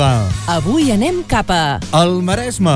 tarda. Avui anem cap a... El Maresme.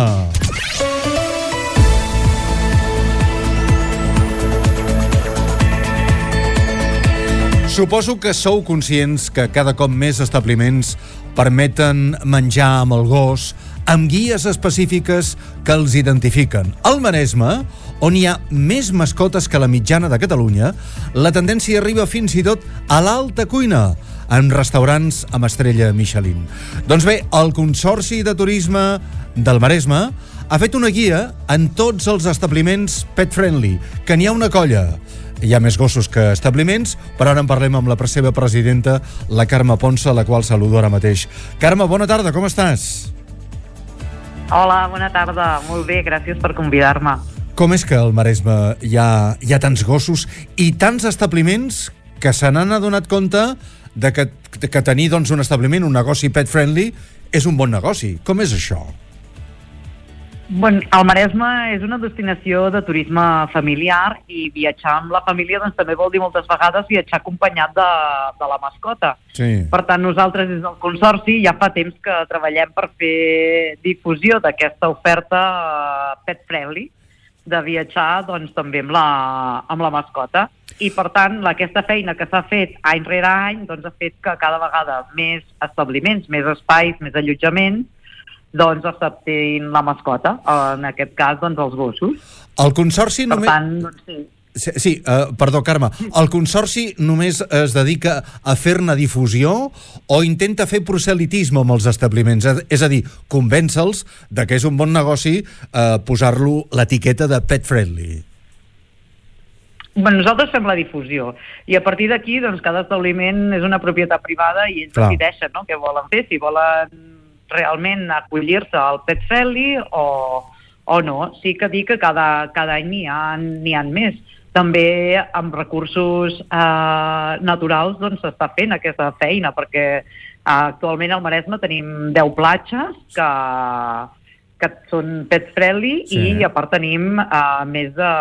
Suposo que sou conscients que cada cop més establiments permeten menjar amb el gos, amb guies específiques que els identifiquen. Al Maresme, on hi ha més mascotes que la mitjana de Catalunya, la tendència arriba fins i tot a l'alta cuina, en restaurants amb estrella Michelin. Doncs bé, el Consorci de Turisme del Maresme ha fet una guia en tots els establiments pet-friendly, que n'hi ha una colla. Hi ha més gossos que establiments, però ara en parlem amb la seva presidenta, la Carme Ponsa, la qual saludo ara mateix. Carme, bona tarda, com estàs? Hola, bona tarda. Molt bé, gràcies per convidar-me. Com és que al Maresme hi ha tants gossos i tants establiments que se n'han adonat compte de que tenir doncs, un establiment, un negoci pet-friendly, és un bon negoci? Com és això? Bueno, el Maresme és una destinació de turisme familiar i viatjar amb la família doncs, també vol dir moltes vegades viatjar acompanyat de la mascota. Sí. Per tant, nosaltres des del Consorci ja fa temps que treballem per fer difusió d'aquesta oferta pet-friendly, de viatjar doncs, també amb la mascota. I, per tant, aquesta feina que s'ha fet any rere any doncs, ha fet que cada vegada més establiments, més espais, més allotjaments, doncs acceptin la mascota, en aquest cas, doncs, els gossos. El Consorci per només... tant, doncs, sí. Sí, perdó, Carme. El Consorci només es dedica a fer-ne difusió o intenta fer proselitisme amb els establiments? És a dir, convèncer-los de que és un bon negoci posar-lo l'etiqueta de pet-friendly. Bueno, nosaltres fem la difusió i a partir d'aquí doncs, cada establiment és una propietat privada i ells decideixen, no?, què volen fer, si volen realment acollir-se al pet friendly o no. Sí que dic que cada any n'hi ha més. També amb recursos naturals doncs s'està fent aquesta feina, perquè actualment al Maresme tenim 10 platges que són pet friendly, sí. I a part tenim més o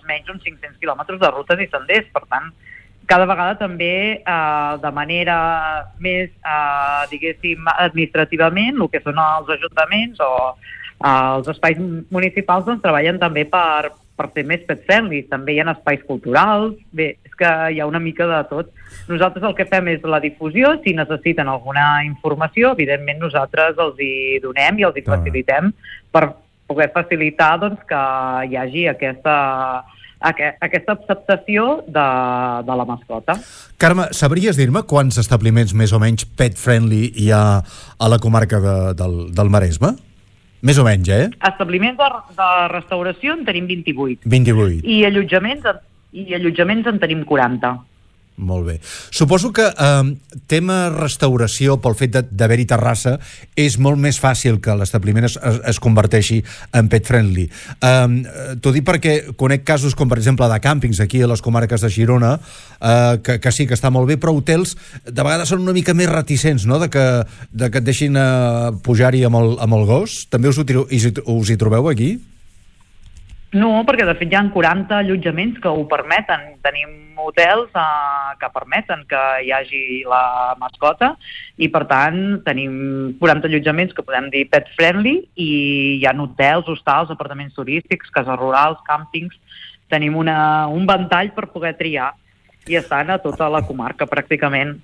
menys uns 500 quilòmetres de rutes i senders. Per tant, cada vegada també de manera més, diguéssim, administrativament, el que són els ajuntaments o els espais municipals doncs, treballen també per ser més pet-friendly. També hi ha espais culturals. Bé, és que hi ha una mica de tot. Nosaltres el que fem és la difusió. Si necessiten alguna informació, evidentment nosaltres els hi donem i els hi facilitem per poder facilitar doncs, que hi hagi aquesta acceptació de la mascota. Carme, sabries dir-me quants establiments més o menys pet-friendly hi ha a la comarca del Maresme? Més o menys, Establiments de restauració en tenim 28. 28. I allotjaments en tenim 40. Molt bé. Suposo que tema restauració, pel fet d'haver-hi terrassa, és molt més fàcil que l'establiment es converteixi en pet-friendly. T'ho dic perquè conec casos com, per exemple, de càmpings aquí a les comarques de Girona, que sí que està molt bé, però hotels de vegades són una mica més reticents, no?, de que et deixin pujar-hi amb el gos. També us hi trobeu aquí? No, perquè de fet hi ha 40 allotjaments que ho permeten. Tenim hotels que permeten que hi hagi la mascota i, per tant, tenim 40 allotjaments que podem dir pet-friendly i hi ha hotels, hostals, apartaments turístics, cases rurals, càmpings. Tenim un ventall per poder triar i estan a tota la comarca, pràcticament.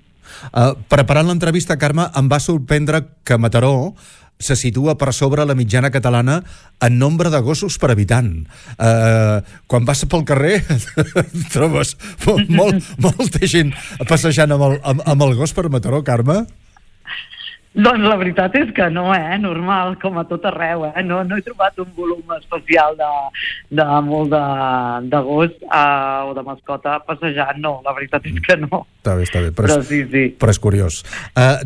Preparant l'entrevista, Carme, em va sorprendre que Mataró se situa per sobre la mitjana catalana en nombre de gossos per habitant. Quan vas pel carrer trobes molta gent passejant amb el gos per Mataró, Carme? Doncs la veritat és que no, normal, com a tot arreu, no he trobat un volum especial de molt de gos o de mascota passejant, no, la veritat és que no. Està bé, però sí. Però és curiós.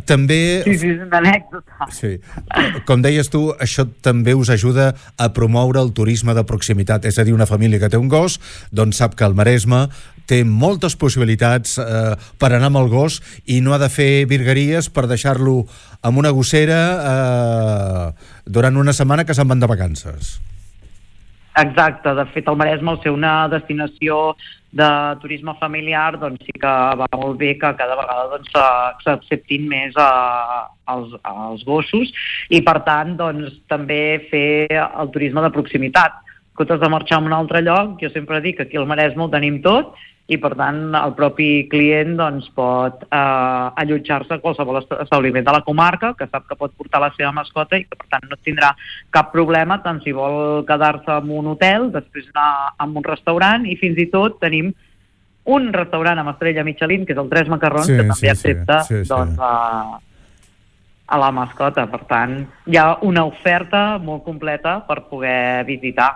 També... Sí, és una anècdota. Sí. Com deies tu, això també us ajuda a promoure el turisme de proximitat, és a dir, una família que té un gos, doncs sap que el Maresme té moltes possibilitats per anar amb el gos i no ha de fer virgueries per deixar-lo amb una gossera durant una setmana que se'n van de vacances. Exacte, de fet el Maresme, al ser una destinació de turisme familiar, doncs sí que va molt bé que cada vegada doncs, s'acceptin més els gossos i per tant doncs, també fer el turisme de proximitat. En comptes de marxar a un altre lloc, jo sempre dic que aquí al Maresme ho tenim tot i per tant el propi client doncs, pot allotjar-se a qualsevol establiment de la comarca que sap que pot portar la seva mascota i que per tant no tindrà cap problema tant si vol quedar-se en un hotel, després anar a un restaurant i fins i tot tenim un restaurant amb estrella Michelin que és el Tres Macarrons que també accepta doncs, a la mascota. Per tant, hi ha una oferta molt completa per poder visitar.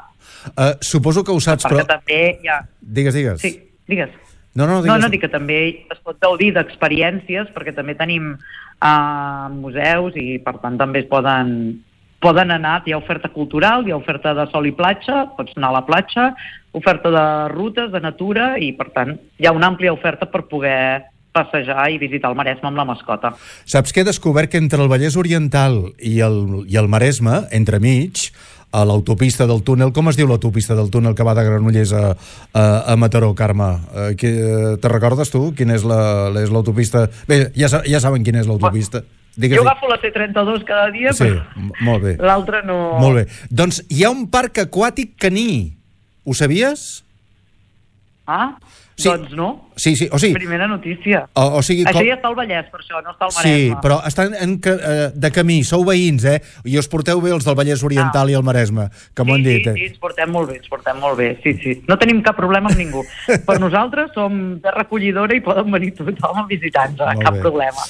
Suposo que ho saps, perquè també hi ha... Digues. Sí, digues. No, dic que també es pot gaudir d'experiències perquè també tenim museus i per tant també es poden anar, hi ha oferta cultural, hi ha oferta de sol i platja, pots anar a la platja, oferta de rutes, de natura i per tant hi ha una àmplia oferta per poder passejar i visitar el Maresme amb la mascota. Saps que he descobert que entre el Vallès Oriental i el Maresme, entremig, a l'autopista del túnel, com es diu l'autopista del túnel que va de Granollers a Mataró, Carme? Te recordes tu quina és l'autopista? Bé, ja saben quina és l'autopista. Jo agafo la C32 cada dia, però molt bé. L'altra no... Molt bé. Doncs hi ha un parc aquàtic caní. Ho sabies? Sí. Doncs no. Sí, o sigui... Primera notícia. O sigui, això ja està al Vallès, per això, no està al Maresme. Sí, però estan de camí, sou veïns, i us porteu bé els del Vallès Oriental i el Maresme, que m'ho han dit. Sí, ens portem molt bé, sí. No tenim cap problema amb ningú. Per nosaltres som terra acollidora i poden venir tothom a visitar-nos, cap problema.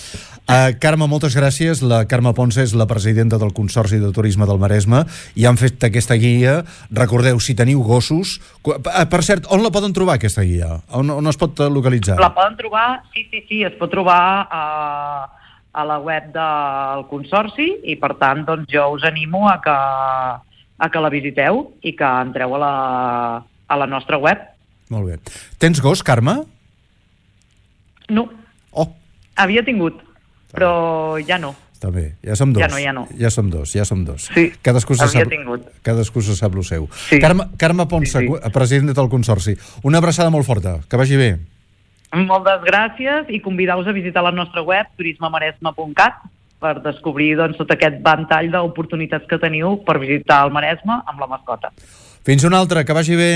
Carme, moltes gràcies. La Carme Ponce és la presidenta del Consorci de Turisme del Maresme i han fet aquesta guia. Recordeu, si teniu gossos... Per cert, on la poden trobar, aquesta guia? On es pot localitzar? La poden trobar, sí, es pot trobar a la web del Consorci i per tant doncs, jo us animo a que la visiteu i que entreu a la nostra web. Molt bé. Tens gos, Carme? No. Havia tingut, però ja no. Està bé, ja som dos. Ja no. Ja som dos. Sí, havia tingut. Cadascú se sap el seu. Sí. Carme Ponce, presidenta del Consorci. Una abraçada molt forta, que vagi bé. Moltes gràcies i convidar-vos a visitar la nostra web turismemaresme.cat per descobrir doncs, tot aquest ventall d'oportunitats que teniu per visitar el Maresme amb la mascota. Fins una altra, que vagi bé.